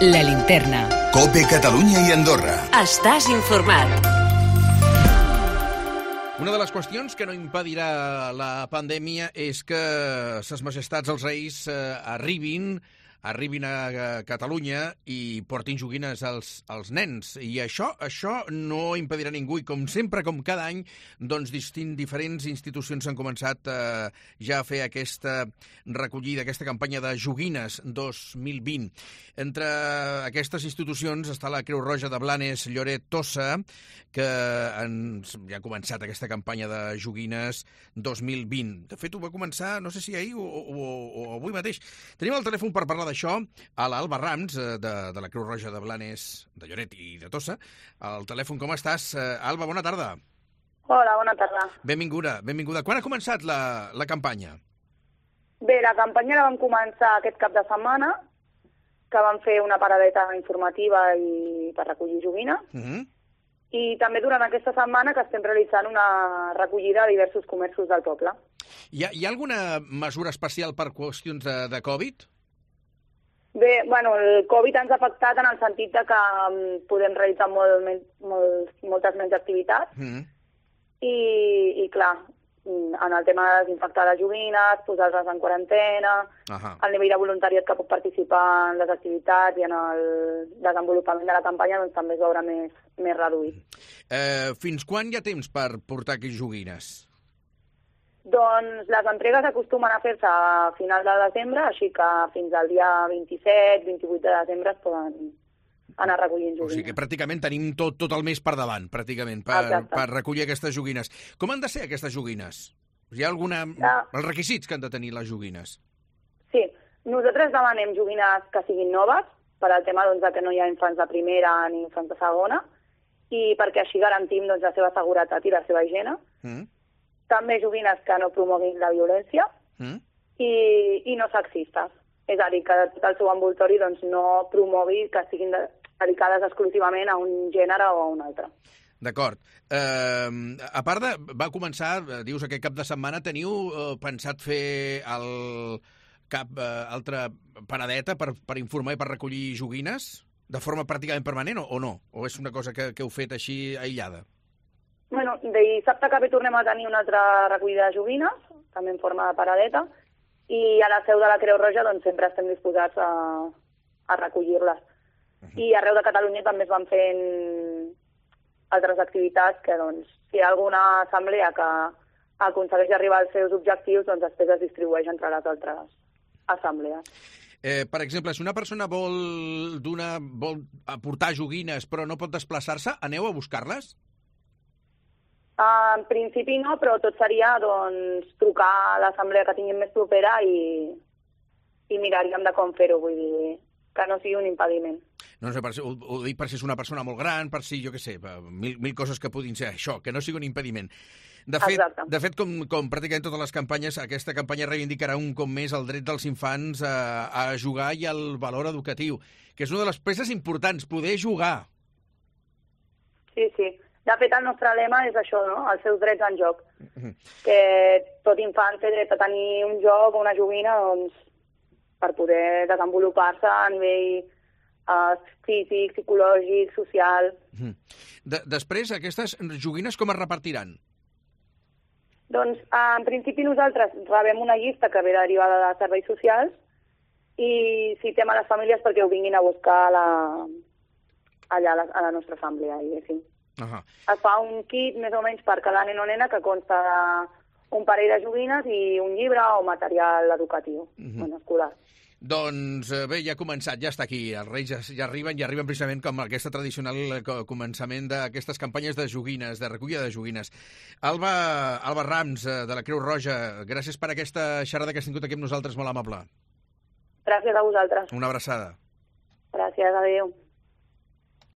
La Linterna. COPE Catalunya i Andorra. Estàs informat. Una de les qüestions que no impedirà la pandèmia és que Ses Majestats els Reis arribin a Catalunya i portin joguines als nens. I això no impedirà ningú. I com sempre, com cada any, doncs diferents institucions han començat ja a fer aquesta recollida, aquesta campanya de joguines 2020. Entre aquestes institucions està la Creu Roja de Blanes Lloret Tossa, que ja ha començat aquesta campanya de joguines 2020. De fet, ho va començar, no sé si ahir o avui mateix. Tenim el telèfon per parlar d'això a l'Alba Rams, de la Creu Roja de Blanes, de Lloret i de Tossa. Al telèfon, com estàs? Alba, bona tarda. Hola, bona tarda. Benvinguda. Quan ha començat la campanya? Bé, la campanya la vam començar aquest cap de setmana, que vam fer una paradeta informativa i per recollir joguines. I també durant aquesta setmana que estem realitzant una recollida a diversos comerços del poble. Hi ha alguna mesura especial per qüestions de Covid? Bé, bueno, el Covid ens ha afectat en el sentit de que podem realitzar moltes menys activitats i clar, en el tema de desinfectar les joguines, posar-les en quarantena, el nivell de voluntariat que pot participar en les activitats i en el desenvolupament de la campanya doncs, també es veurà més reduït. Fins quan hi ha temps per portar aquestes joguines? Doncs les entregues acostumen a fer-se a final de desembre, així que fins al dia 27-28 de desembre es poden anar recollint joguines. O sigui que pràcticament tenim tot el mes per davant, pràcticament, per recollir aquestes joguines. Com han de ser aquestes joguines? Hi ha els requisits que han de tenir les joguines? Sí, nosaltres demanem joguines que siguin noves, per al tema doncs, que no hi ha infants de primera ni infants de segona, i perquè així garantim doncs, la seva seguretat i la seva higiene. També joguines que no promoguin la violència i no sexistes. És a dir, que tot el seu envoltori doncs, no promogui que siguin dedicades exclusivament a un gènere o a un altre. D'acord. A part va començar, dius, aquest cap de setmana, teniu pensat fer altra paradeta per informar i per recollir joguines de forma pràcticament permanent o no? O és una cosa que heu fet així aïllada? Bueno, dissabte que tornem a tenir una altra recollida de joguines, també en forma de paradeta, i a la seu de la Creu Roja doncs, sempre estem disposats a recollir-les. I arreu de Catalunya també es van fent altres activitats que, doncs, si hi ha alguna assemblea que aconsegueix arribar als seus objectius, doncs després es distribueix entre les altres assemblees. Per exemple, si una persona vol aportar joguines però no pot desplaçar-se, aneu a buscar-les? En principi no, però tot seria doncs, trucar a l'assemblea que tinguin més propera i miraríem de com fer-ho, vull dir, que no sigui un impediment. No sé, ho dic per si és una persona molt gran, per si, jo què sé, mil coses que puguin ser això, que no sigui un impediment. De fet, com pràcticament totes les campanyes, aquesta campanya reivindicarà un cop més el dret dels infants a jugar i el valor educatiu, que és una de les peces importants, poder jugar. Sí. De fet, el nostre lema és això, no? Els seus drets en joc. Que tot infant té dret a tenir un joc o una joguina doncs, per poder desenvolupar-se a nivell físic, psicològic, social. Després, aquestes joguines com es repartiran? Doncs, en principi, nosaltres rebem una llista que ve derivada de serveis socials i citem a les famílies perquè ho vinguin a buscar allà a la nostra assemblea, diguéssim. Es fa un kit més o menys per cada nen o nena que consta d'un parell de joguines i un llibre o material educatiu, escolar. Doncs bé, ja ha començat, ja està aquí. Els Reis ja arriben precisament com aquesta tradicional començament d'aquestes campanyes de joguines, de recollida de joguines. Alba Rams, de la Creu Roja, gràcies per aquesta xerrada que has tingut aquí amb nosaltres, molt amable. Gràcies a vosaltres. Una abraçada. Gràcies, adéu.